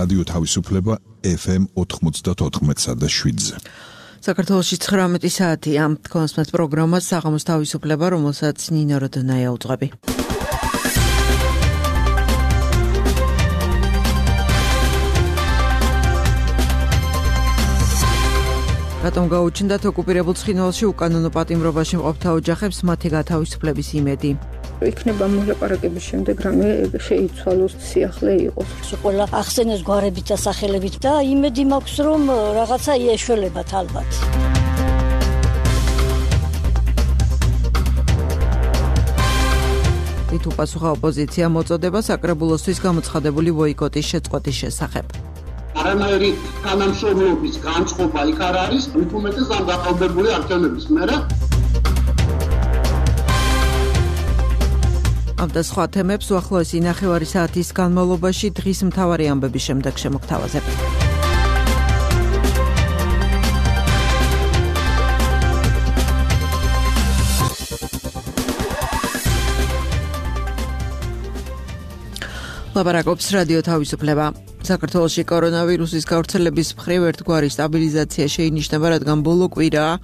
რადიო თავისუფლება FM 94.7-ზე. საქართველოში 19 საათია. კონსმეთ პროგრამას საღამოს თავისუფლება, რომელსაც ნინო როდონაია უძღვები. რატომ გაუჩნდათ ოკუპირებულ ცხინვალში უკანონო პატიმრობაში მყოფთა ოჯახებს მათი გათავისუფლების იმედი? იქნება მოლაპარაკების შემდეგ რამე შეიცვალოს, სიახლე იყოს. ყველა ახსენეს გვარებით და სახელებით და იმედი მაქვს, რომ რაღაცა იეშველებათ ალბათ. თვით უპასუხა ოპოზიცია მოწოდება საკრებულოსთვის გამოცხადებული ბოიკოტის შეწყვეტის შესახებ. არანაირი თანამშრომლობის განწყობა იქ არ არის, მით უმეტეს ამ დაყალბებული არჩევნების მერე. ამ და სხვა თემებს უახლოესი ნახევარი საათის განმავლობაში დღის მთავარი ამბების შემდეგ შემოგთავაზებთ. ლაპარაკობს რადიო თავისუფლება. საქართველოში კორონავირუსის გავრცელების მხრივ ერთგვარი სტაბილიზაცია შეინიშნება, რადგან ბოლო კვირაა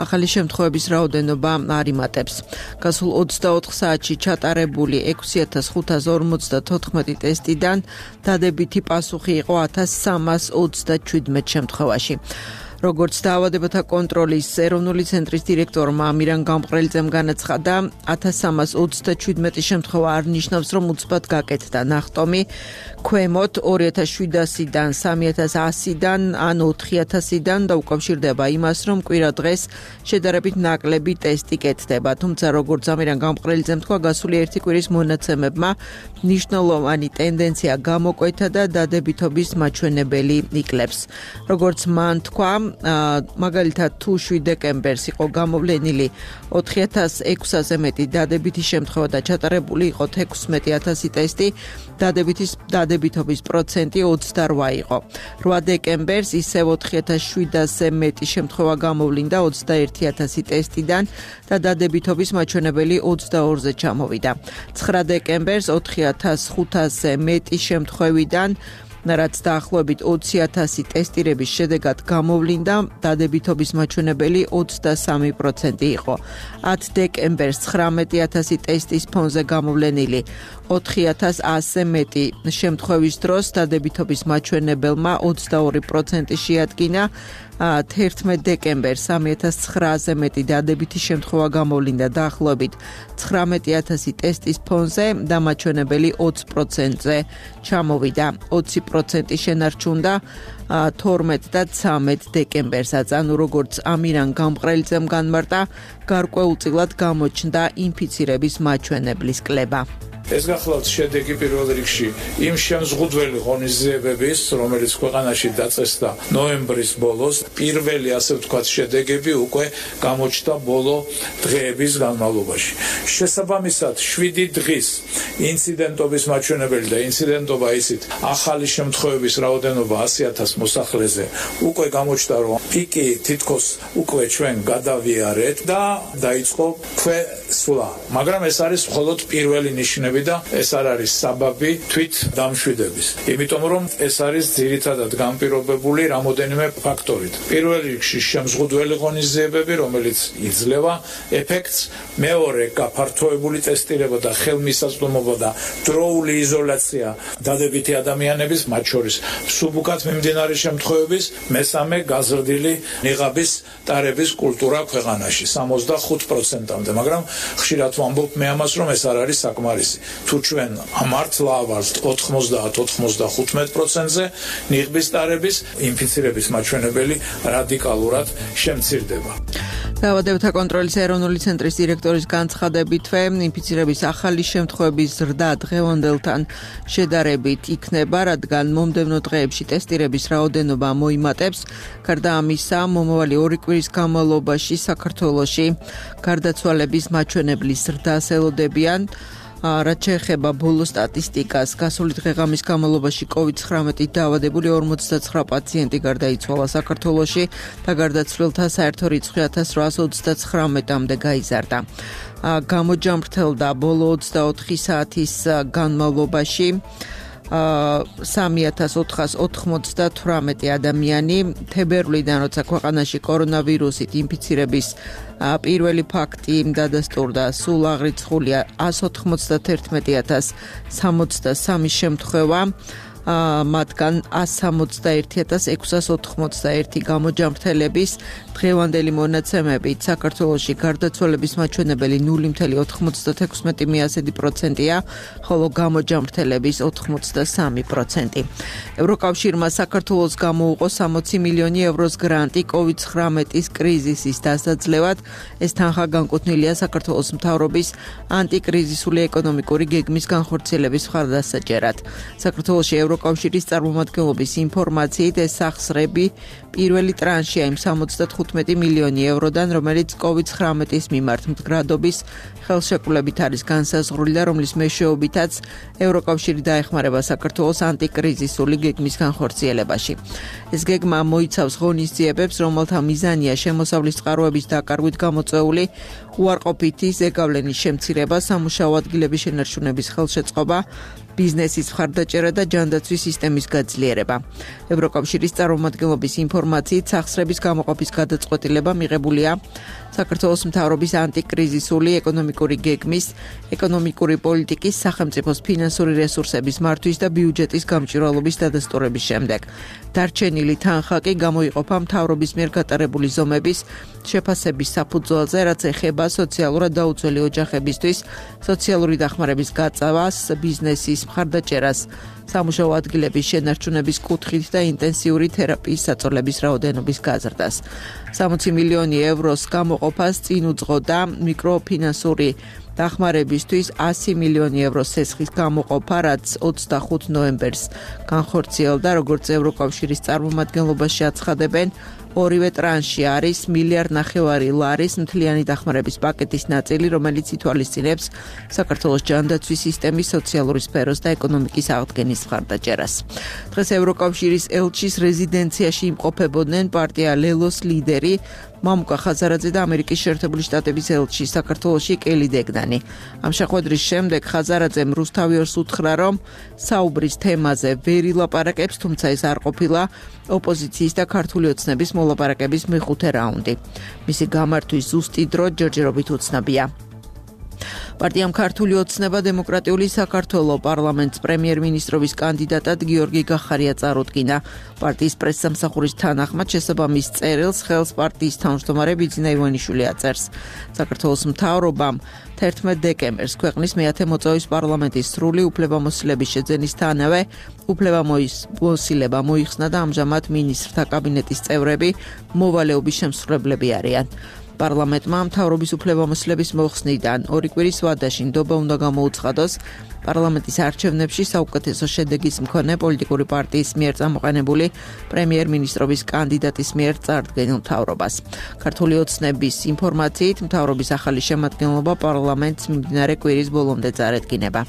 ახალი შემთხვევების რაოდენობა არ იმატებს. გასულ 24 საათში ჩატარებული 6554 ტესტიდან დადებითი პასუხი იყო 1337 შემთხვევაში. როგორც დაავადებათა კონტროლის ეროვნული ცენტრის დირექტორმა ამირან გამყრელიძემ განაცხადა, 1337 შემთხვევა არ ნიშნავს, რომ უცბად გაკეთდა ნახტომი, ქვემოთ 2700-დან 3100-დან ან 4000-დან და უკავშირდება იმას, რომ კვირა დღეს შედარებით ნაკლები ტესტი კეთდება. თუმცა, როგორც ამირან გამყრელიძემ თქვა, გასული ერთი კვირის მონაცემებმა მნიშვნელოვანი ტენდენცია გამოკვეთა და დადებითობის მაჩვენებელი იკლებს. როგორც მან თქვა, მაგალითად თუ 7 დეკემბერს იყო გამოვლენილი 4600-ზე მეტი დადებითი შემთხვევა და ჩატარებული იყო 16000 ტესტი, დადებითობის პროცენტი 28 იყო. 8 დეკემბერს ისევ 4700-ზე მეტი შემთხვევა გამოვლინდა 21000 ტესტიდან და დადებითობის მაჩვენებელი 22-ზე ჩამოვიდა. 9 დეკემბერს 4500-ზე მეტი შემთხვევიდან რაც დაახლოებით 20000 ტესტირების შედეგად გამოვლინდა, დადებითობის მაჩვენებელი 23% იყო. 10 დეკემბერს 19000 ტესტის ფონზე გამოვლენილი 4100-ზე მეტი შემთხვევის დროს დადებითობის მაჩვენებელმა 22% შეადგინა. 11 დეკემბერს 3900-ზე მეტი დადებითი შემთხვევა გამოვლინდა დაახლოებით 19000 ტესტის ფონზე და მაჩვენებელი 20%-ზე ჩამოვიდა. 20% შენარჩუნდა 12 და 13 დეკემბერსაც, ანუ როგორც ამირან გამყრელიძემ განმარტა, გარკვეულწილად გამოჩნდა ინფიცირების მაჩვენებლის კლება. ეს გახლავთ შედეგი პირველ რიგში იმ შემზღუდველი ღონისძიებების, რომელიც ქვეყანაში დაწესდა ნოემბრის ბოლოს, პირველი ასე ვთქვათ შედეგები უკვე გამოჩნდა ბოლო დღეების განმავლობაში. შესაბამისად 7 დღის ინციდენტობის მაჩვენებელი და ინციდენტობა ისიც ახალი შემთხვევების რაოდენობა 100000 მოსახლეზე უკვე გამოჩნდა, რომ პიკი თითქოს უკვე ჩვენ გადავიარეთ და დაიწყო ქვესვლა. მაგრამ ეს არის მხოლოდ პირველი ნიშნები და ეს არ არის საბაბი თვით დამშვიდების. იმიტომ რომ ეს არის ძირითადად განპირობებული რამოდენიმე ფაქტორით. პირველ რიგში შემზღუდველი ღონისძიებები, რომელიც იძლევა ეფექტს, მეორე გაფართოებული ტესტირება და ხელმისაწვდომობა და დროული იზოლაცია დადებითი ადამიანების, მათ შორის სუბუქად მიმდინარე შემთხვევების, მესამე გაზრდილი ნიღაბის ტარების კულტურა ქვეყანაში 65%-მდე, მაგრამ ხშირად ვამბობ მე ამას, რომ ეს არ არის საკმარისი. თუ ჩვენ მართლა ავალთ 90-95%-ზე, ნიღბის ტარების ინფიცირების მაჩვენებელი რადიკალურად შემცირდება. დაავადებათა კონტროლის ეროვნული ცენტრის დირექტორის განცხადებითვე, ინფიცირების ახალი შემთხვევების ზრდა დღევანდელთან შედარებით იქნება, რადგან მომდევნო დღეებში ტესტირების რაოდენობა მოიმატებს. გარდა ამისა, მომავალი 2 კვირის განმავლობაში საქართველოში გარდაცვალების მაჩვენებლის ზრდას ელოდებიან. რაც შეეხება ბოლო სტატისტიკას, გასული დღე-ღამის განმავლობაში COVID-19 დაავადებული 59 პაციენტი გარდაიცვალა საქართველოში და გარდაცვლილთა საერთო რიცხვი 1839-მდე გაიზარდა. გამოჯამრთელდა ბოლო 24 საათის განმავლობაში 3498 ადამიანი თებერვლიდან, როცა ქვეყანაში კორონავირუსით ინფიცირების პირველი ფაქტი დადასტურდა, სულ აღრიცხულია 191,063 შემთხვევა. მათგან 161,681 გამოჯამრთელების დღევანდელი მონაცემებით საქართველოში გარდაცვალების მაჩვენებელი 0.96%-ია, ხოლო გამოჯამრთელების 83%. ევროკავშირმა საქართველოს გამოუყო 60 მილიონი ევროს გრანტი COVID-19 კრიზისის დასაძლევად. ეს თანხა განკუთვნილია საქართველოს მთავრობის ანტიკრიზისული ეკონომიკური გეგმის განხორციელების მხარდასაჭერად. საქართველოში ევროკავშირის წარმომადგენლობის ინფორმაციით ეს სახსრები პირველი ტრანშია იმ 75 მილიონი ევროდან, რომელიც COVID-19 მიმართ მდგრადობის ხელშეკრულებით არის განსაზღვრული და რომლის მეშვეობითაც ევროკავშირი დაეხმარება საქართველოს ანტიკრიზისული გეგმის განხორციელებაში. ეს გეგმა მოიცავს ღონისძიებებს, რომელთა მიზანია შემოსავლის წყაროების დაკარგვით გამოწვეული უარყოფითი ზეგავლენის შემცირება, სამუშაო ადგილების შენარჩუნების ხელშეწყობა, ბიზნესის მხარდაჭერა და ჯანდაცვის სისტემის გაძლიერება. ევროკავშირის წარმომადგენლობის ინფორმაციით სახსრების გამოყოფის გადაწყვეტილება მიღებულია საქართველოს მთავრობის ანტიკრიზისული ეკონომიკური გეგმის, ეკონომიკური პოლიტიკის, სახელმწიფოს ფინანსური რესურსების მართვის და ბიუჯეტის გამჭვირვალობის დადასტურების შემდეგ. დარჩენილი თანხა კი გამოიყოფა მთავრობის მიერ გატარებული ზომების შეფასების საფუძველზე, რაც ეხება სოციალურად დაუცველი ოჯახებისთვის სოციალური დახმარების გაწევას, ბიზნესის მხარდაჭერას, სამუშაო ადგილების შენარჩუნების კუთხით და ინტენსიური თერაპიის საწოლების რაოდენობის გაზრდას. 60 მილიონი ევროს გამოყოფას წინ უძღოდა მიკროფინანსური დახმარებისთვის 100 მილიონი ევროს სესხის გამოყოფა, რაც 25 ნოემბერს განხორციელდა, როგორც ევროკავშირის წარმომადგენლობაში აცხადებენ. ორივე ტრანში არის 1,5 მილიარდი ლარის მთლიანი დახმარების პაკეტის ნაწილი, რომელიც ითვალისწინებს საქართველოს ჯანდაცვის სისტემის, სოციალური სფეროს და ეკონომიკის აღდგენის მხარდაჭერას. დღეს ევროკავშირის ელჩის რეზიდენციაში იმყოფებოდნენ პარტია ლელოს ლიდერი მამუკა ხაზარაძე და ამერიკის შეერთებული შტატების ელჩი საქართველოში კელი დეგდანი. ამ შეხვედრის შემდეგ ხაზარაძემ რუსთავიორს უთხრა, რომ საუბრის თემაზე ვერ ილაპარაკებს, თუმცა ეს არ ყოფილა ოპოზიციის და ქართული ოცნების მოლაპარაკების მეხუთე რაუნდი. მისი გამართვის ზუსტი დრო ჯერჯერობით უცნობია. პარტიამ ქართული ოცნება დემოკრატიული საქართველო პარლამენტს პრემიერ-მინისტრობის კანდიდატად გიორგი გახარია წარუდგინა. პარტიის პრესსამსახურის თანახმად შესაბამის წერილს ხელს პარტიის თავმჯდომარე ბიძინა ივანიშვილი აწერს. საქართველოს მთავრობამ 11 დეკემბერს ქვეყნის მეათე მოწვევის პარლამენტის სრული უფლებამოსილების შეძენისთანავე უფლებამოსილება მოიხსნა და ამჟამად მინისტრთა კაბინეტის წევრები მოვალეობის შემსრულებლები არიან. პარლამენტმა მთავრობის უფლებამოსილების მოხსნიდან 2 კვირის ვადაში ნდობა უნდა გამოუცხადოს პარლამენტის არჩევნებში საუკეთესო შედეგის მქონე პოლიტიკური პარტიის მიერ წამოყენებული პრემიერ-მინისტრობის კანდიდატის მიერ წარდგენილ მთავრობას. ქართული ოცნების ინფორმაციით მთავრობის ახალი შემადგენლობა პარლამენტს მიმდინარე კვირის ბოლომდე წარედგინება.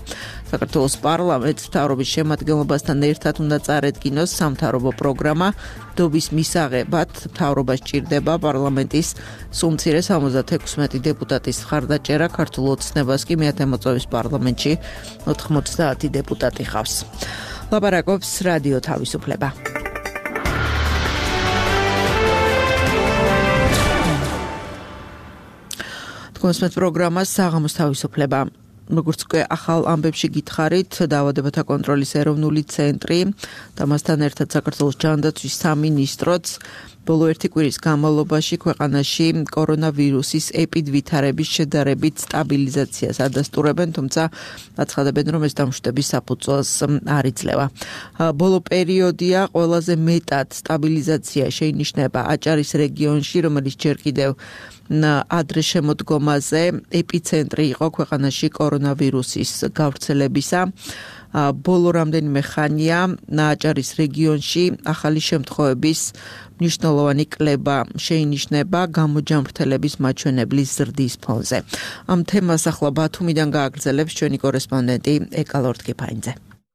საქართველოს პარლამენტს მთავრობის შემადგენლობასთან ერთად უნდა წარედგინოს სამთავრობო პროგრამა. დობის მისაღებად მთავრობას ჭირდება პარლამენტის სულ მცირე 76 დეპუტატის მხარდაჭერა, ქართულ ოცნებას კი მეათე მოწვევის პარლამენტში 90 დეპუტატი ხავს. ლაპარაკობს რადიო თავისუფლება. თქვენს პროგრამას საღამოს თავისუფლება. როგორც უკვე ახალ ამბებში გითხარით, დაავადებათა კონტროლის ეროვნული ცენტრი და მასთან ერთად საქართველოს ჯანდაცვის სამინისტროც ბოლო 1 კვირის განმავლობაში ქვეყანაში კორონავირუსის ეპიდვითარების შედარებით სტაბილიზაციას ადასტურებენ, თუმცა აცხადებენ, რომ ეს დამშვიდების საფუძველს არ იძლევა. ბოლო პერიოდია ყველაზე მეტად სტაბილიზაცია შეინიშნება აჭარის რეგიონში, რომელიც ჯერ კიდევ ადრე შემოდგომაზე ეპიცენტრი იყო ქვეყანაში კორონავირუსის გავრცელებისა. ბოლო რამდენიმე ხანია აჭარის რეგიონში ახალი შემთხვევების მნიშვნელოვანი კლება შეინიშნება გამოჯამრთელების მაჩვენებლის ზრდის ფონზე. ამ თემას ახლა ბათუმიდან გააგრძელებს ჩვენი კორესპონდენტი ეკალორდ კიფაინძე.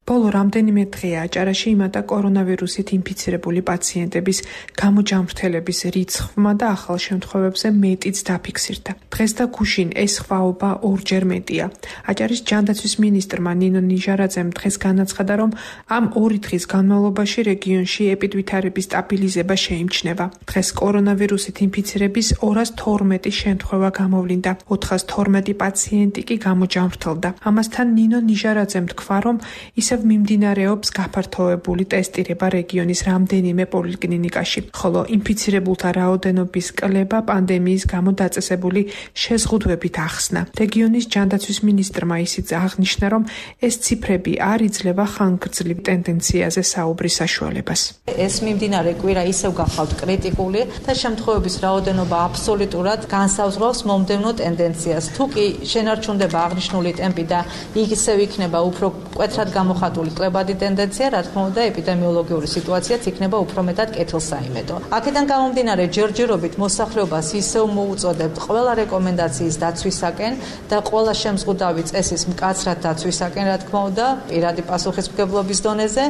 ბოლო რამდენიმე დღეა აჭარაში იმატა კორონავირუსით ინფიცირებული პაციენტების გამოჯამრთელების რიცხვმა და ახალ შემთხვევებზე მეტიც დაფიქსირდა. დღეს და გუშინ ეს ხვაობა ორჯერ მეტია. აჭარის ჯანდაცვის მინისტრმა ნინო ნიჟარაძემ დღეს განაცხადა, რომ ამ 2 დღის განმავლობაში რეგიონში ეპიდვითარების სტაბილიზება შეიმჩნევა. დღეს კორონავირუსით ინფიცირების 212 შემთხვევა გამოვლინდა, 412 პაციენტი კი გამოჯამრთელდა. ამასთან ნინო ნიჟარაძემ თქვა, რომ ისევ მიმდინარეობს გაფართოებული ტესტირება რეგიონის რამდენიმე პოლიკლინიკაში, ხოლო ინფიცირებულთა რაოდენობის კლება პანდემიის გამო დაწესებული შეზღუდვებით ახსნა. რეგიონის ჯანდაცვის მინისტრმა ისიც აღნიშნა, რომ ეს ციფრები არ იძლევა ხანგრძლივ ტენდენციაზე საუბრის საშუალებას. ეს მიმდინარე კვირა ისევ გახავთ კრიტიკული და შემთხვევების რაოდენობა აბსოლუტურად განსაზღვრავს მომდევნო ტენდენციას. თუ კი შენარჩუნდება აღნიშნული ტემპი და ისევ იქნება უფრო მკვეთრად გამოხატული კლებადი ტენდენცია, რა თქმა უნდა, ეპიდემიოლოგიური სიტუაციაც იქნება უფრო მეტად კეთილსაიმედო. აქედან გამომდინარე, ჯერჯერობით მოსახლეობას ისევ მოუწოდებთ ყველა რეკომენდაციის დაცვისაკენ და ყველა შემზღუდავი წესის მკაცრად დაცვისაკენ, რა თქმა უნდა, პირადი პასუხისმგებლობის დონეზე.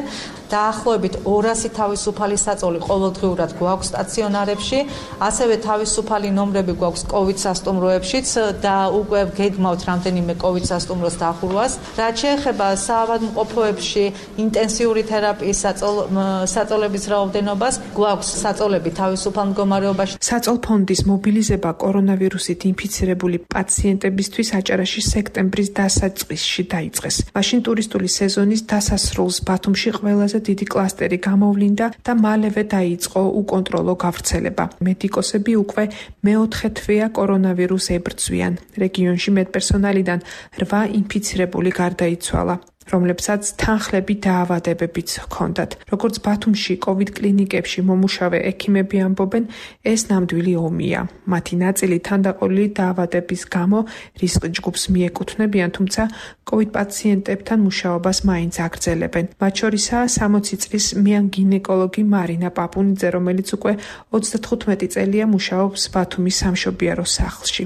დაახლოებით 200 თავისუფალი საწოლი ყოველდღიურად გვაქვს სტაციონარებში, ასევე თავისუფალი ნომრები გვაქვს COVID სასტუმროებშიც და უკვე გეგმავთ რამდენიმე COVID სასტუმროს დახურვას. რაც შეეხება საავადმყოფოებში ინტენსიური თერაპიის საწოლების რაოდენობას, გვაქვს საწოლები თავისუფალ მდგომარეობაში. საწოლფონდის მობილიზება კორონავირუსით ინფიცირებული პაციენტებისთვის აჭარაში სექტემბრის დასაწყისში დაიწყეს. მაშინ ტურისტული სეზონის დასასრულს ბათუმში ყველაზე დიდი კლასტერი გამოვლინდა და მალევე დაიწყო უკონტროლო გავრცელება. მედიკოსები უკვე მეოთხე თვეა კორონავირუს ებრძვიან. რეგიონში მედპერსონალიდან 8 ინფიცირებული გარდაიცვალა, რომლებსაც თანხლები დაავადებებიც ჰქონდათ. როგორც ბათუმში COVID კლინიკებში მომუშავე ექიმები ამბობენ, ეს ნამდვილი ომია. მათი ნაწილი თანდაყოლილი დაავადების გამო რისკ ჯგუფს მიეკუთვნებიან, თუმცა COVID პაციენტებთან მუშაობას მაინც აგრძელებენ. მათ შორისაა 60 წლის მიან გინეკოლოგი მარინა პაპუნიძე, რომელიც უკვე 35 წელია მუშაობს ბათუმის სამშობიარო სახლში.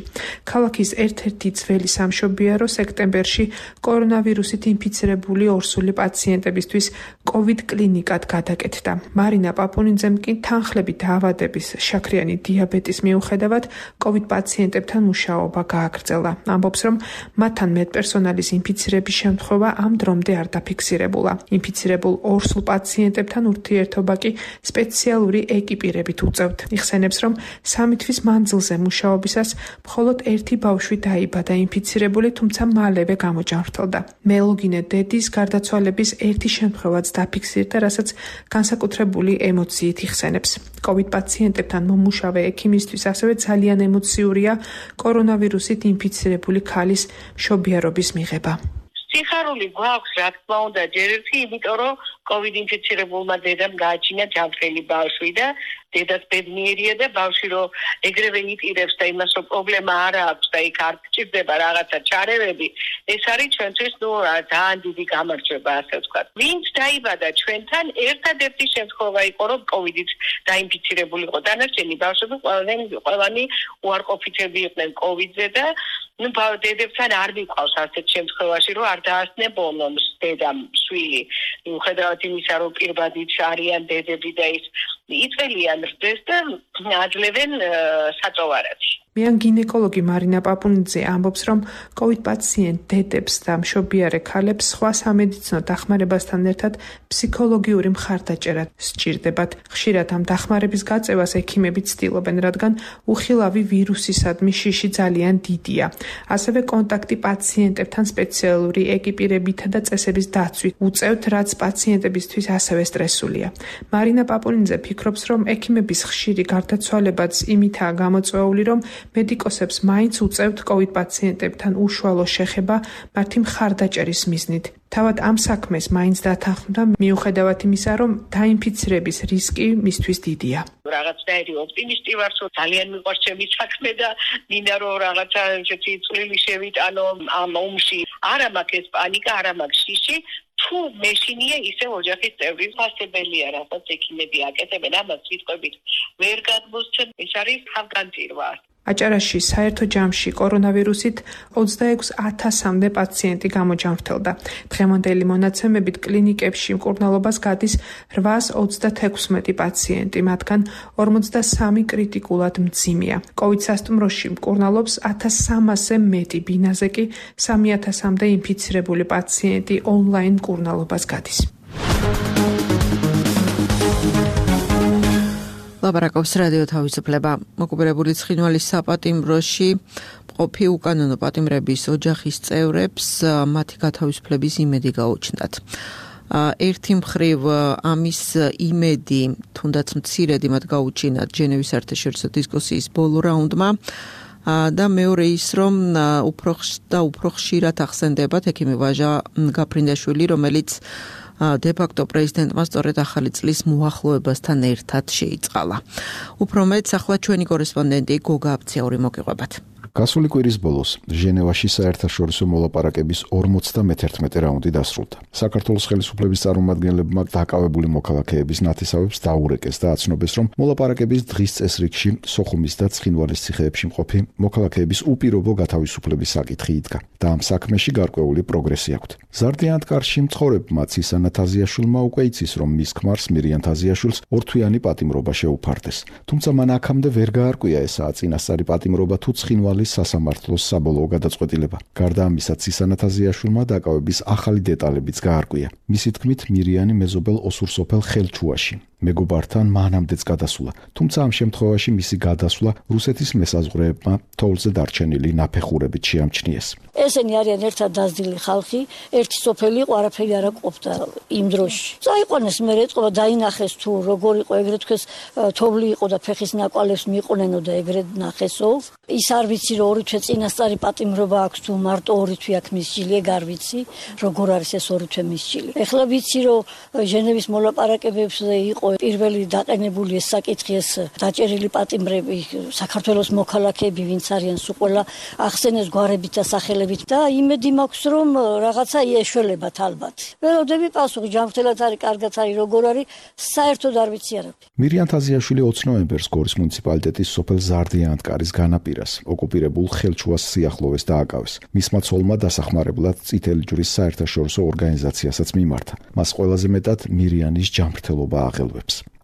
ქალაქის ერთ-ერთი ძველი სამშობიარო სექტემბერში კორონავირუსით ინფიცირებული ორსული პაციენტებისთვის COVID კლინიკად გადაკეთდა. მარინა პაპუნიძემ კი თანხლები დაავადების შაქრიანი დიაბეტის მიუხედავად COVID პაციენტებთან მუშაობა გააგრძელა. ამბობს, რომ მათთან მედპერსონალის ინფიცირების შემთხვევა ამ დრომდე არ დაფიქსირებულა. ინფიცირებულ ორსულ პაციენტებთან ურთიერთობა კი სპეციალური ეკიპირებით უწევთ. იხსენებს, რომ 3 თვის მანძილზე მუშაობისას მხოლოდ 1 ბავშვი დაიბადა ინფიცირებული, თუმცა მალევე გამოჯამრთელდა. მელოგინე დედის გარდაცვალების 1 შემთხვევაც დაფიქსირდა, რასაც განსაკუთრებული ემოციით იხსენებს. COVID პაციენტებთან მომუშავე ექიმისთვის ასევე ძალიან ემოციურია კორონავირუსით ინფიცირებული ქალის მშობიარობის მიღება. სიხარული გვაქვს, რა თქმა უნდა, ჯერ ერთი, იმიტომ რომ COVID ინფიცირებულმა დედამ გააჩინა ჯანმრთელი ბავშვი და დედაც ბედნიერია და ბავშვი რომ ეგრევე იტირებს და იმას რომ პრობლემა არ აქვს და იქ არ გჭირდება რაღაცა ჩარევები, ეს არის ჩვენთვის ძალიან დიდი გამარჯვება, ასე ვთქვათ. ვინც დაიბადა ჩვენთან, ერთადერთი შემთხვევა იყო, რომ COVID-ით დაინფიცირებული იყო. დანარჩენი ბავშვები ყველანი უარყოფითები იყვნენ COVID-ზე და დედებთან არ მიყვავს ასეთ შემთხვევაში, რომ არ დაასწნებონ დედამ შვილი. მიუხედავად იმისა, რომ პირბადით არიან დედები და ის იწელიან რდეს და აძლევენ საწოვარად. მიან გინეკოლოგი მარინა პაპუნიძე ამბობს, რომ COVID პაციენტ დედებს და მშობიარე ქალებს სხვა სამედიცინო დახმარებასთან ერთად ფსიქოლოგიური მხარდაჭერა სჭირდებათ. ხშირად ამ დახმარების გაწევას ექიმები ცდილობენ, რადგან უხილავი ვირუსისადმი შიში ძალიან დიდია. ასევე კონტაქტი პაციენტებთან სპეციალური ეკიპირებითა და წესების დაცვით უწევთ, რაც პაციენტებისთვის ასევე სტრესულია. მარინა პაპუნიძე ფიქრობს, რომ ექიმების ხშირი გარდაცვალებაც იმითაა გამოწვეული, რომ მედიკოსებს მაინც უწევთ COVID პაციენტებთან უშუალო შეხება მათი მხარდაჭერის მიზნით. თავად ამ საქმეს მაინც დათანხმდა, მიუხედავად იმისა, რომ დაინფიცირების რისკი მისთვის დიდია. რაღაცნაირი ოპტიმისტი ვარ, რომ ძალიან მიყვარს ჩემი საქმე და მინდა რომ რაღაცა ესეთი წვლილი შევიტანო ამ ომში. არა მაქვს ეს პანიკა, არა მაქვს შიში. თუ მეშინია ისე ოჯახის წევრი ფასებელია, რასაც ექიმები აკეთებენ, ამას სიტყვებით ვერ გადმოსცემ, ეს არის თავგანწირვა. აჭარაში საერთო ჯამში კორონავირუსით 26,000-მდე პაციენტი გამოჯანმრთელდა. დღევანდელი მონაცემებით კლინიკებში მკურნალობას გადის 836 პაციენტი, მათგან 43 კრიტიკულად მძიმეა. COVID სასტუმროში მკურნალობს 1300-ზე მეტი, ბინაზე კი 3000-მდე ინფიცირებული პაციენტი ონლაინ მკურნალობას გადის. ლაპარაკობს რადიო თავისუფლება. მოკუპირებული ცხინვალის საპატიმროში მყოფი უკანონო პატიმრების ოჯახის წევრებს მათი გათავისუფლების იმედი გაუჩნდათ. ერთი მხრივ ამის იმედი, თუნდაც მცირედი მათ გაუჩინათ ჟენევის საერთაშორისო დისკუსიის ბოლო რაუნდმა და მეორე ის, რომ უფრო ხშირად ახსენდებათ ექიმი ვაჟა გაფრინდაშვილი, რომელიც დე-ფაქტო პრეზიდენტმა სწორედ ახალი წლის მოახლოებასთან ერთად შეიწყალა. უფრო მეტ ახლა ჩვენი კორესპონდენტი გოგა აბციური მოგიყვებათ. გასული კვირის ბოლოს ჟენევაში საერთაშორისო მოლაპარაკების 51 რაუნდი დასრულდა. საქართველოს ხელისუფლების წარმომადგენლებმა დაკავებული მოქალაქეების ნათესავებს დაურეკეს და აცნობეს, რომ მოლაპარაკების დღის წესრიგში სოხუმის და ცხინვალის ციხეებში მყოფი მოქალაქეების უპირობო გათავისუფლების საკითხი იდგა და ამ საქმეში გარკვეული პროგრესი აქვთ. ზარდიანად კარში მცხოვრებმა ცისანა თაზიაშვილმა უკვე იცის, რომ მის ქმარს მირიან თაზიაშვილს ორთვიანი პატიმრობა შეუფარდეს. თუმცა მან აქამდე ვერ გაარკვია ესაა წინასწარი პატიმრობა თუ ცხინვალის სასამართლოს საბოლოო გადაწყვეტილება. გარდა ამისა, ცისანა თაზიაშვილმა დაკავების ახალი დეტალებიც გაარკვია. მისი თქმით, მირიანი მეზობელ ოსურსოფელ ხელჩუაში მეგობართან მანამდეც გადასულა. თუმცა ამ შემთხვევაში მისი გადასვლა რუსეთის მესაზღვრეებმა თოვლზე დარჩენილი ნაფეხურებით შეამჩნიეს. ესენი არიან ერთად დაზდილი ხალხი, ერთი სოფელი იყო, არაფერი არ ყოფდა იმ დროში. წაიყვანეს მე ეწყობა დაინახეს თუ როგორ იყო, ეგრეთ თქვეს თოვლი იყო და ფეხის ნაკვალებს მიყვნენო და ეგრეთ ნახესო. ის არ ვიცი რომ ორი თვე წინასწარი პატიმრობა აქვს თუ მარტო ორი თვე აქვს მისჯილი, ეგ არ ვიცი, როგორ არის ეს ორი თვე მისჯილი. ეხლა ვიცი რომ ჟენევის მოლაპარაკებებზე იყო პირველი დაყენებული ეს საკითხი, ეს დაჭერილი პატიმრები, საქართველოს მოქალაქეები, ვინც არიან სულ ყველა ახსენეს გვარებით და სახელებით და იმედი მაქვს რომ რაღაცა ეშველებათ ალბათ. ველოდები პასუხი ჯანმრთელად არის, კარგად არის, როგორ არის, საერთოდ არ ვიცი არაფერი. მირიან თაზიაშვილი 20 ნოემბერს გორის მუნიციპალიტეტის სოფელ ზარდიანთკარის განაპირას ოკუპირებულ ხელჩუას სიახლოვეს დააკავეს. მისმა ცოლმა დასახმარებლად წითელი ჯვრის საერთაშორისო ორგანიზაციასაც მიმართა. მას ყველაზე მეტად მირიანის ჯანმრთელობა აღელვებს.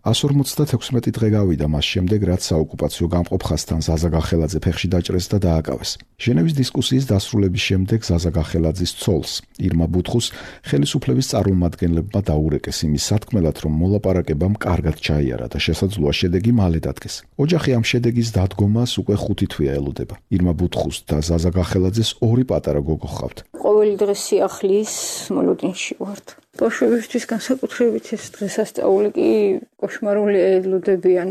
156 დღე გავიდა მას შემდეგ, რაც საოკუპაციო გამყოფ ხაზთან ზაზა გახელაძე ფეხში დაჭრეს და დააკავეს. ჟენევის დისკუსიის დასრულების შემდეგ ზაზა გახელაძის ცოლს, ირმა ბუთხუს, ხელისუფლების წარმომადგენლებმა დაურეკეს იმის სათქმელად, რომ მოლაპარაკებამ კარგად ჩაიარა და შესაძლოა შედეგი მალე დადგეს. ოჯახი ამ შედეგის დადგომას უკვე 5 თვეა ელოდება. ირმა ბუთხუს და ზაზა გახელაძეს ორი პატარა გოგო ჰყავთ. ყოველი დღე სიახლის მოლოდინში ვართ. ბავშვებისთვის განსაკუთრებით ეს დღესასწაული კი კოშმარული ელოდებიან.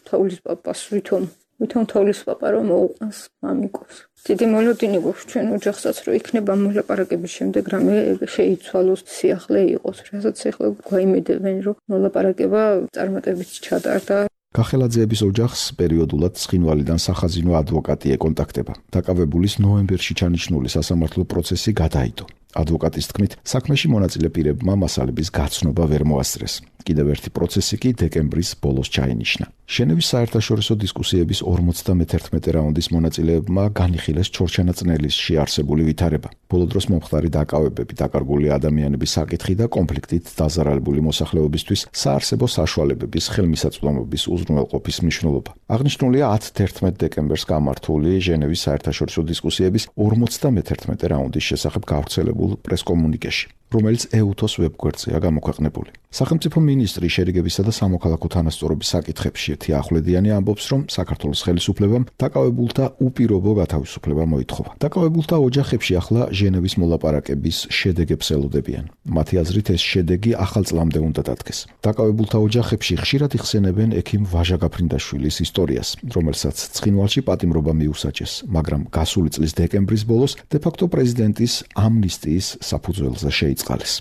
თოვლის პაპას ვითომ თოვლის პაპა რომ მოუყანს მამიკოს. დიდი მოლოდინი გვაქვს ჩვენ ოჯახსაც, რომ იქნება მოლაპარაკების შემდეგ რამე შეიცვალოს, სიახლე იყოს, რასაც ეხლა გვაიმედებენ, რომ მოლაპარაკება წარმატებით ჩატარდა. გახელაძეების ოჯახს პერიოდულად ცხინვალიდან სახაზინო ადვოკატი ეკონტაქტება. დაკავებულის ნოემბერში ჩანიშნული სასამართლო პროცესი გადაიდო. ადვოკატის თქმით, საქმეში მონაწილე პირებმა მასალების გაცნობა ვერ მოასწრეს. კიდევ ერთი პროცესი კი დეკემბრის ბოლოს ჩაინიშნა. ჟენევის საერთაშორისო დისკუსიების 51 რაუნდის მონაწილეებმა განიხილეს ჩორჩანაწნელისში არსებული ვითარება. ბოლო დროს მომხდარი დაკავებები, დაკარგული ადამიანების საკითხი და კონფლიქტით დაზარალებული მოსახლეობისთვის საარსებო საშუალებების ხელმისაწვდომობის უზრუნველყოფის მნიშვნელობა. აღნიშნულია 10-11 დეკემბერს გამართული ჟენევის საერთაშორისო დისკუსიების 51 რაუნდის შესახებ გავრცელებულ პრესკომუნიკეში, რომელიც EUTOS ვებგვერდზეა გამოქვეყნებული. სახელმწიფო მინისტრი შერიგებისა და სამოქალაქო თანასწორობის საკითხებში ერთი ახვლედიანი ამბობს, რომ საქართველოს ხელისუფლებამ დაკავებულთა უპირობო გათავისუფლება მოითხოვა. დაკავებულთა ოჯახებში ახლა ჟენევის მოლაპარაკების შედეგებს ელოდებიან. მათი აზრით ეს შედეგი ახალ წლამდე უნდა დადგეს. დაკავებულთა ოჯახებში ხშირად იხსენებენ ექიმ ვაჟა გაფრინდაშვილის ისტორიას, რომელსაც ცხინვალში პატიმრობა მიუსაჯეს, მაგრამ გასული წლის დეკემბრის ბოლოს დე-ფაქტო პრეზიდენტის ამნისტიის საფუძველზე შეიწყალეს.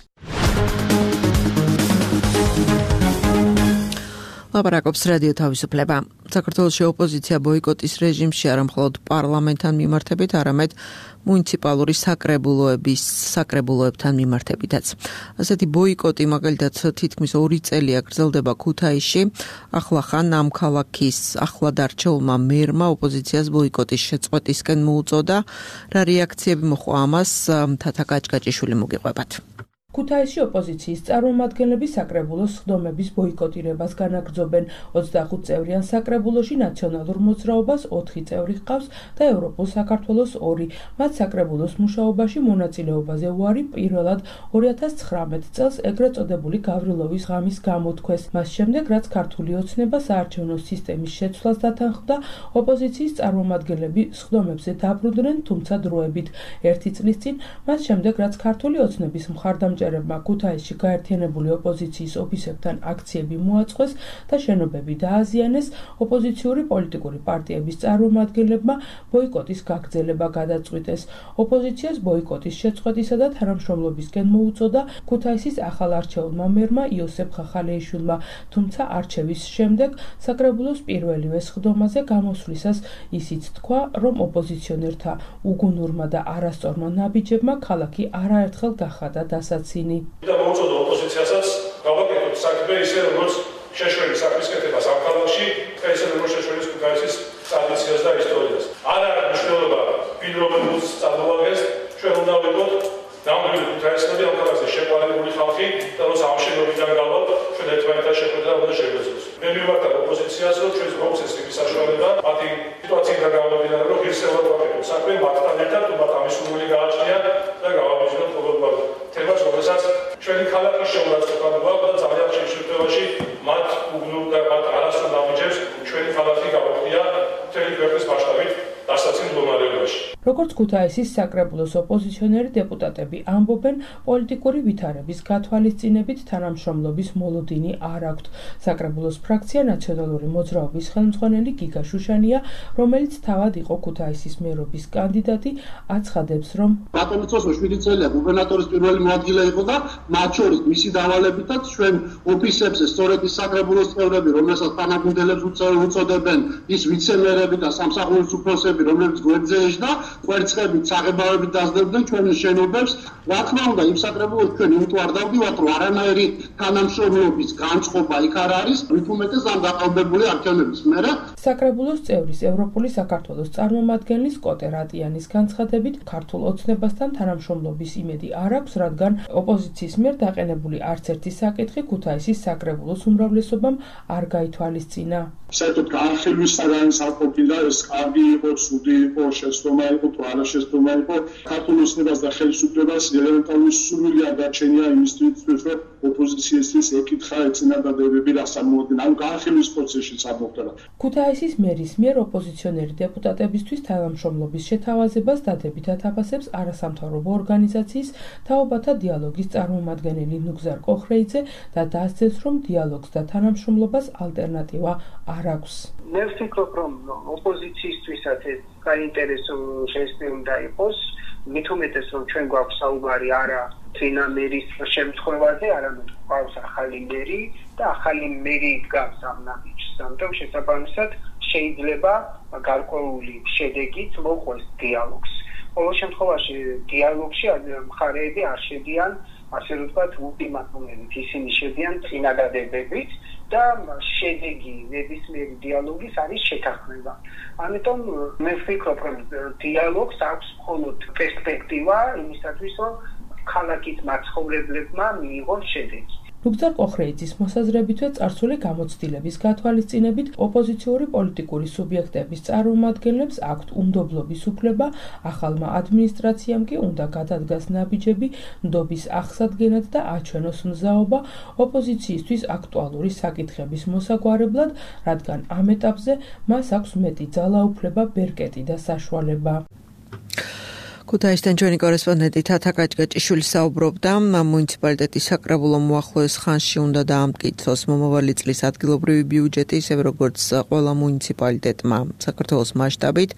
ლაპარაკობს რადიო თავისუფლება. საქართველოში ოპოზიცია ბოიკოტის რეჟიმში არა მხოლოდ პარლამენტთან მიმართებით, არამედ მუნიციპალური საკრებულოებთან მიმართებითაც. ასეთი ბოიკოტი მაგალითად თითქმის 2 წელია გრძელდება ქუთაისში. ახლა ხან ამ ქალაქის ახლად არჩეულმა მერმა ოპოზიციას ბოიკოტის შეწყვეტისკენ მოუწოდა. რა რეაქციები მოჰყვა ამას, თათა კაჭკაჭიშვილი მოგიყვებათ. ქუთაისში ოპოზიციის წარმომადგენლები საკრებულოს სხდომების ბოიკოტირებას განაგრძობენ. 25 წევრიან საკრებულოში ნაციონალურ მოძრაობას 4 წევრი ჰყავს და ევროპულ საქართველოს 2. მათ საკრებულოს მუშაობაში მონაწილეობაზე უარი პირველად 2019 წელს ეგრეთ წოდებული გავრილოვის ღამის გამოთქვეს. მას შემდეგ, რაც ქართული ოცნება საარჩევნო სისტემის შეცვლას დათანხმდა, ოპოზიციის წარმომადგენლები სხდომებზე დაბრუნდნენ, თუმცა დროებით. 1 წლის წინ, მას შემდეგ, რაც ქართული ოცნების მხარდამჭერებმა ქუთაისში გაერთიანებული ოპოზიციის ოფისებთან აქციები მოაწყვეს და შენობები დააზიანეს, ოპოზიციური პოლიტიკური პარტიების წარმომადგენლებმა ბოიკოტის გაგრძელება გადაწყვიტეს. ოპოზიციას ბოიკოტის შეწყვეტისა და თანამშრომლობისკენ მოუწოდა ქუთაისის ახალ არჩეულმა მერმა იოსებ ხახალეიშვილმა, თუმცა არჩევის შემდეგ საკრებულოს პირველივე სხდომაზე გამოსვლისას ისიც თქვა, რომ ოპოზიციონერთა უგუნურმა და არასწორმა ნაბიჯებმა ქალაქი არაერთხელ გახადა დასაცინი. და მოუწოდა ოპოზიციასაც გავაკეთოთ საქმე ისე როგორც შეშველის საქმის კეთებას ამ ქალაქში, ისე როგორც შეშველის ქუთაისის ტრადიციას და ისტორიას. არ არის მნიშვნელობა ვინ რომელს წარმოადგენს, ჩვენ უნდა ვიყოთ ნამდვილი ქუთაისელი ამ ქალაქზე შეყვანებული ხალხი და რომ ამ შენობიდან გავვალ ჩვენ ერთმანეთთან შეხვედრა უნდა შეგვეძლოს. მე მივმართავ ოპოზიციას, რომ ჩვენს მოგვცეს იმის საშუალება, მათი სიტუაციიდან გამომდინარე, რომ ღირსეულად ვაკეთოთ საქმე მათთან ერთად, თუმცა ამის სურვილი გააჩნიათ და გავაბიჯდოთ ყოველგვარ თემას, რომელსაც ჩვენი ქალაქის შეურაცხყოფა გვაქვს და ძალიან ხშირ შემთხვევაში მათ უგნურ და მათ არასწორ ნაბიჯებს ჩვენი ქალაქი გავაკეთია მთელი ქვეყნის მასშტაბით დასაცინი მდგომარეობაში. როგორც ქუთაისის საკრებულოს ოპოზიციონერი დეპუტატები ამბობენ, პოლიტიკური ვითარების გათვალისწინებით თანამშრომლობის მოლოდინი არ აქვთ. საკრებულოს ფრაქცია ნაციონალური მოძრაობის ხელმძღვანელი გიგა შუშანია, რომელიც თავად იყო ქუთაისის მერობის კანდიდატი, აცხადებს, რომ ბატონიცოს 7 წელია გუბერნატორის პირველი მოადგილე იყო და მათ შორის მისი დავალებითაც ჩვენ ოფისებზე სწორედ ის საკრებულოს წევრები, რომელსაც თანაგუნდელებს უწოდებენ, ის ვიცემერები და სამსახურის უფროსები, რომლებიც გვერდზე ეжда, კვერცხებით, საღებავებით დასდებდნენ ჩვენ შენობებს. რა თქმა უნდა, იმ საკრებულოს ჩვენ იმიტომ არ დავდივართ, რომ არანაირი თანამშრომლობის განწყობა იქ არ არის, მით უმეტეს ამ დაყალბებული არჩევნების მერე. საკრებულოს წევრის ევროპული საქართველოს წარმომადგენლის კოტე რატიანის განცხადებით, ქართულ ოცნებასთან თანამშრომლობის იმედი არ აქვს, რადგან ოპოზიციის მიერ დაყენებული არც ერთი საკითხი ქუთაისის საკრებულოს უმრავლესობამ არ გაითვალისწინა. საერთოდ განხილვის საგანის არ ყოფილა, ეს კარგი იყო, ცუდი იყო, შეცდომა იყო, თუ არა შეცდომა იყო. ქართულ ოცნებას და ხელისუფლებას ელემენტარული სურვილი არ გაჩენია იმისთვის, რომ ოპოზიციისთვის ეკითხა ეწინადადებები რას წარმოადგენს. ამ განხილვის პროცესში წარმოქმნა. ქუთაისის მერის მიერ ოპოზიციონერი დეპუტატებისთვის თანამშრომლობის შეთავაზებას დადებითად აფასებს არასამთავრობო ორგანიზაციის თაობათა დიალოგის წარმომადგენელი ნუგზარ კოხრეიძე და დასძენს, რომ დიალოგს და თანამშრომლობას ალტერნატივა არ აქვს. მე ვფიქრობ, რომ ოპოზიციისთვისაც ეს საინტერესო ჟესტი უნდა იყოს, მით უმეტეს, რომ ჩვენ გვაქვს საუბარი არა თინა მერის შემთხვევაზე, არამედ გვაქვს ახალი მერი და ახალი მერი დგას ამ ნაბიჯს. ამიტომ შესაბამისად შეიძლება გარკვეული შედეგით მოყვეს დიალოგს. ყოველ შემთხვევაში დიალოგში მხარეები არ შედიან, ასე რომ ვთქვათ, ულტიმატუმებით, ისინი შედიან წინადადებებით და შედეგი ნებისმიერი დიალოგის არის შეთანხმება. ამიტომ მე ვფიქრობ, რომ დიალოგს აქვს მხოლოდ პერსპექტივა იმისათვის, რომ ქალაქის მაცხოვრებლებმა მიიღონ შედეგი. ნუგზარ კოხრეიძის მოსაზრებითვე წარსული გამოცდილების გათვალისწინებით ოპოზიციური პოლიტიკური სუბიექტების წარმომადგენლებს აქვთ უნდობლობის უფლება, ახალმა ადმინისტრაციამ კი უნდა გადადგას ნაბიჯები ნდობის აღსადგენად და აჩვენოს მზაობა ოპოზიციისთვის აქტუალური საკითხების მოსაგვარებლად, რადგან ამ ეტაპზე მას აქვს მეტი ძალაუფლება, ბერკეტი და საშუალება. ქუთაისთან ჩვენი კორესპონდენტი თათა კაჭკაჭიშვილი საუბრობდა, მუნიციპალიტეტის საკრებულომ უახლოეს ხანში უნდა დაამტკიცოს მომავალი წლის ადგილობრივი ბიუჯეტი, ისევე როგორც ყველა მუნიციპალიტეტმა საქართველოს მასშტაბით.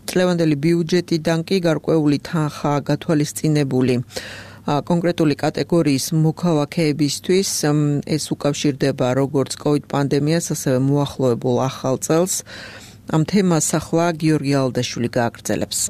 წლევანდელი ბიუჯეტიდან კი გარკვეული თანხაა გათვალისწინებული. კონკრეტული კატეგორიის მოქალაქეებისთვის ეს უკავშირდება როგორც COVID პანდემიას, ასევე მოახლოებულ ახალ წელს. ამ თემას ახლა გიორგი ალდაშვილი გააგრძელებს.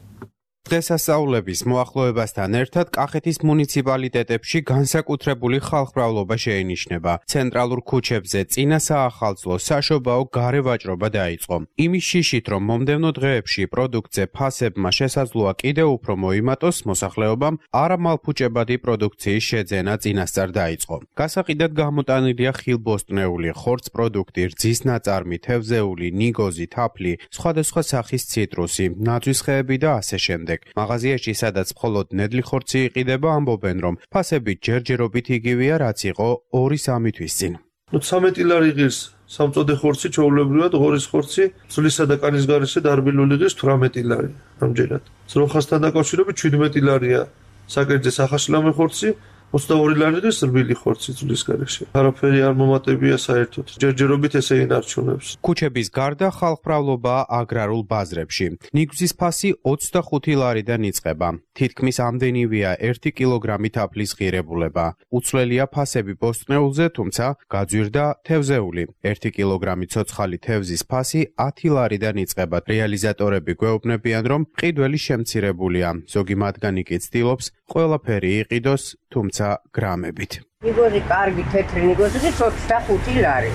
დღესასწაულების მოახლოებასთან ერთად კახეთის მუნიციპალიტეტებში განსაკუთრებული ხალხმრავლობა შეინიშნება. ცენტრალურ ქუჩებზე წინა საახალწლო საშობაო გარევაჭრობა დაიწყო. იმის შიშით, რომ მომდევნო დღეებში პროდუქტზე ფასებმა შესაძლოა კიდევ უფრო მოიმატოს, მოსახლეობამ არამალფუჭებადი პროდუქციის შეძენა წინასწარ დაიწყო. გასაყიდად გამოტანილია ხილბოსტნეული, ხორცპროდუქტი, რძის ნაწარმი, თევზეული, ნიგოზი, თაფლი, სხვადასხვა სახის ციტრუსი, ნაძვის ხეები და ასე შემდეგ. მაღაზიაში, სადაც მხოლოდ ნედლი ხორცი იყიდება, ამბობენ, რომ ფასები ჯერჯერობით იგივეა, რაც იყო 2-3 თვის წინ. 13 ლარი ღირს სამწოდე ხორცი, ჩვეულებრივად ღორის ხორცი, ძვლისა და კანის გარეშე დარბილული ღირს 18 ლარი. ამჯერად. ძროხასთან დაკავშირებით 17 ლარია საკერძე სახაშლამი ხორცი, 22 ლარი ღირს რბილი ხორცი ძვლის გარეშე. არაფერი არ მომატებია საერთოდ. ჯერჯერობით ესე ინარჩუნებს. ქუჩების გარდა ხალხმრავლობა აგრარულ ბაზრებში. ნიგზის ფასი 25 ლარიდან იწყება. თითქმის ამდენივეა 1 კილოგრამი თაფლის ღირებულება. უცვლელია ფასები ბოსტნეულზე, თუმცა გაძვირდა თევზეული. 1 კილოგრამი ცოცხალი თევზის ფასი 10 ლარიდან იწყება. რეალიზატორები გვეუბნებიან, რომ მყიდველი შემცირებულია. ზოგი მათგანი კი ცდილობს ყველაფერი იყიდოს, თუმცა გრამებით. ნიგოზი კარგი თეთრი ნიგოზი 25 ლარი.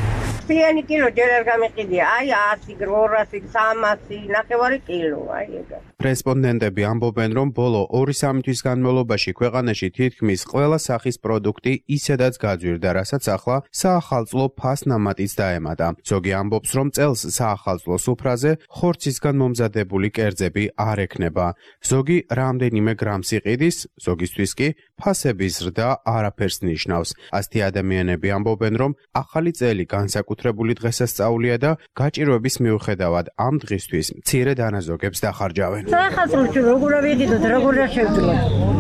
ფიანი კილო ჯერ არ გამიყიდია. აი 100, 200, 300, ნახევარი კილო, აი ეგა. რესპონდენტები ამბობენ, რომ ბოლო 2-3 თვის განმავლობაში ქვეყანაში თითქმის ყველა სახის პროდუქტი ისედაც გაძვირდა, რასაც ახლა საახალწლო ფასნამატიც დაემატა. ზოგი ამბობს, რომ წელს საახალწლო სუფრაზე ხორცისგან მომზადებული კერძები არ ექნება. ზოგი რამდენიმე გრამს იყიდის, ზოგისთვის კი ფასების ზრდა არაფერს ნიშნავს. ასეთი ადამიანები ამბობენ, რომ ახალი წელი განსაკუთრებული დღესასწაულია და გაჭირვების მიუხედავად ამ დღისთვის მცირე დანაზოგებს დახარჯავენ. საახალწლოში როგორ ავიღიდოთ, როგორ შევძლოთ.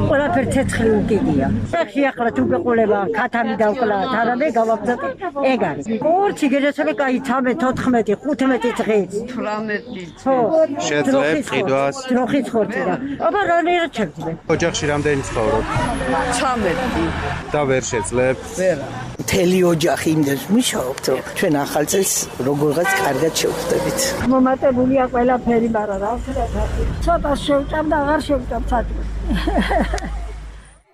ყველაფერი ცეცხლი უკიდია. სახში ახლა თუ გეყოლება ქათამი დავკლათ, არამე გავაბზატე ეგ არის. ხორცი გერესები კაი 13, 14, 15 დღეს. 18. ხო. შეძლებ ყიდვას. დროხის ხორცი და. აბა რა შეიძლება? ოჯახში რამდენი ცხოვრობ? 13. და ვერ შეძლებ? ვერა. მთელი ოჯახი იმდენს მუშაობთ, რომ ჩვენ ახალ წელს როგორღაც კარგად შევხვდებით. მომატებულია ყველაფერი, მაგრამ რა ვქნა? ცოტა შევჭამ და აღარ შევჭამ საჭმელს.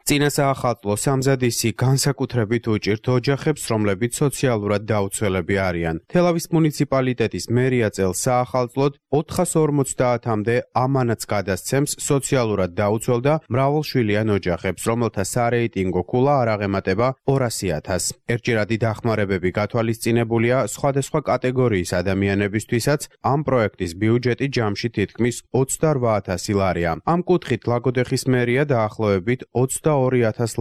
წინა საახალწლო სამზადისი განსაკუთრებით უჭირთ ოჯახებს, რომლებიც სოციალურად დაუცველები არიან. თელავის მუნიციპალიტეტის მერია წელს საახალწლოდ 450-მდე ამანათს გადასცემს სოციალურად დაუცველ და მრავალშვილიან ოჯახებს, რომელთა სარეიტინგო ქულა არ აღემატება 200.000. ერთჯერადი დახმარებები გათვალისწინებულია სხვადასხვა კატეგორიის ადამიანებისთვისაც. ამ პროექტის ბიუჯეტი ჯამში თითქმის 28.000 ლარია. ამ კუთხით ლაგოდეხის მერია დაახლოებით 22.000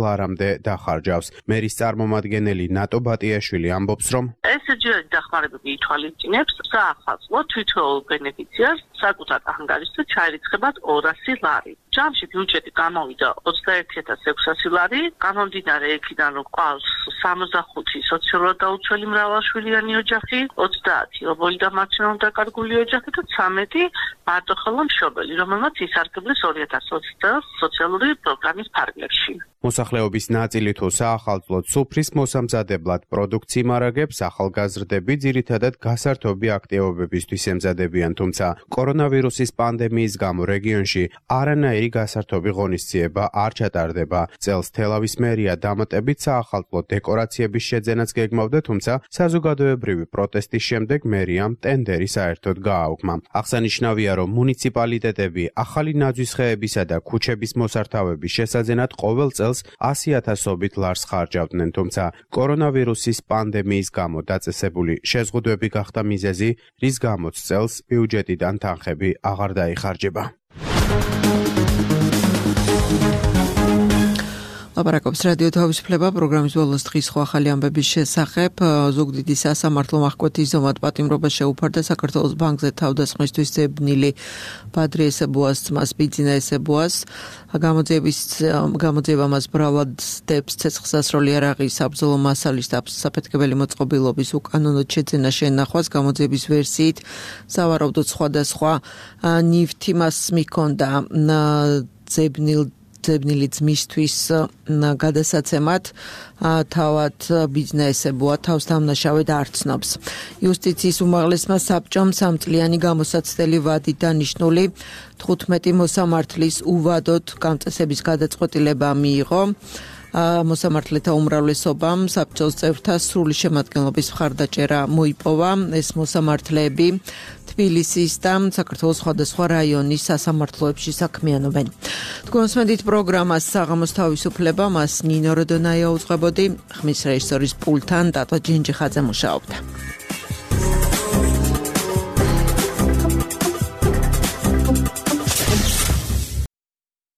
ლარამდე დახარჯავს. მერის წარმომადგენელი ნატო ბატიაშვილი ამბობს, რომ ეს ჯერადი დახმარებები ითვალისწინებს საახალწლო თვითოეულ ბენეფიციარს საკუთარ ანგარიშზე ჩაირიცხებად 200 ლარი. ჯამში ბიუჯეტი გამოვიდა 21.600 ლარი, გამომდინარე იქიდან, რომ ყავს 65 სოციალურად დაუცველი მრავალშვილიანი ოჯახი, 30 ობოლი და მარცვლოვნად დაკარგული ოჯახი და 13 მარტოხელა მშობელი, რომელმაც ისარგებლეს 2020 წელს სოციალური პროგრამის ფარგლებში. მოსახლეობის ნაწილი თუ საახალწლოდ სუფრის მოსამზადებლად პროდუქტს იმარაგებს, ახალგაზრდები ძირითადად გასართობი აქტივობებისთვის ემზადებიან, თუმცა კორონავირუსის პანდემიის გამო რეგიონში არანაირი გასართობი ღონისძიება არ ჩატარდება. წელს თელავის მერია დამატებით საახალწლო დეკორაციების შეძენაც გეგმავდა, თუმცა საზოგადოებრივი პროტესტის შემდეგ მერიამ ტენდერი საერთოდ გააუქმა. აღსანიშნავია, რომ მუნიციპალიტეტები ახალი ნაძვის ხეებისა და ქუჩების მოსართავების შესაძენად ყოველ წელს 100.000-ობით ლარს ხარჯავდნენ, თუმცა კორონავირუსის პანდემიის გამო დაწესებული შეზღუდვები გახდა მიზეზი, რის გამოც წელს ბიუჯეტიდან თანხები აღარ დაიხარჯება. ლაპარაკობს რადიო თავისუფლება პროგრამის ბოლოს დღის ხო ახალი ამბების შესახებ. ზუგდიდი სასამართლო მახკვეთის ზომად პატიმრობა შეუფარდა საქართველოს ბანკზე თავდასხმისთვის ძებნილი ბადრი ესებუას ძმას ბიძინა ესებუას. გამოძიება მას ბრავად დებს ცეცხლსასროლი არაღის საბრძოლო მასალის საფეთქებელი მოწყობილობის უკანონოდ შეძენა შენახვას. გამოძიების ვერსიით სავარაუდოდ სხვადასხვა ნივთი მას მიქონდა ძებნილ მოძებნილი ძმისთვის გადასაცემად თავად ბიზნესებოა თავს დამნაშავედ არ ცნობს. იუსტიციის უმაღლესმა საბჭომ 3 წლიანი გამოსაცდელი ვადით დანიშნული 15 მოსამართლის უვადოდ გამწესების გადაწყვეტილება მიიღო. მოსამართლეთა უმრავლესობამ საბჭოს წევრთა სრული შემადგენლობის მხარდაჭერა მოიპოვა. ეს მოსამართლეები თბილისის და საქართველოს სხვადასხვა რაიონის სასამართლოებში საქმიანობენ. თქვენსმენდით პროგრამას საღამოს თავისუფლება, მას ნინო როდონაია უძღვებოდი, ხმის რეჟისორის პულტთან დატო ჯინჯიხაძე მუშაობდა.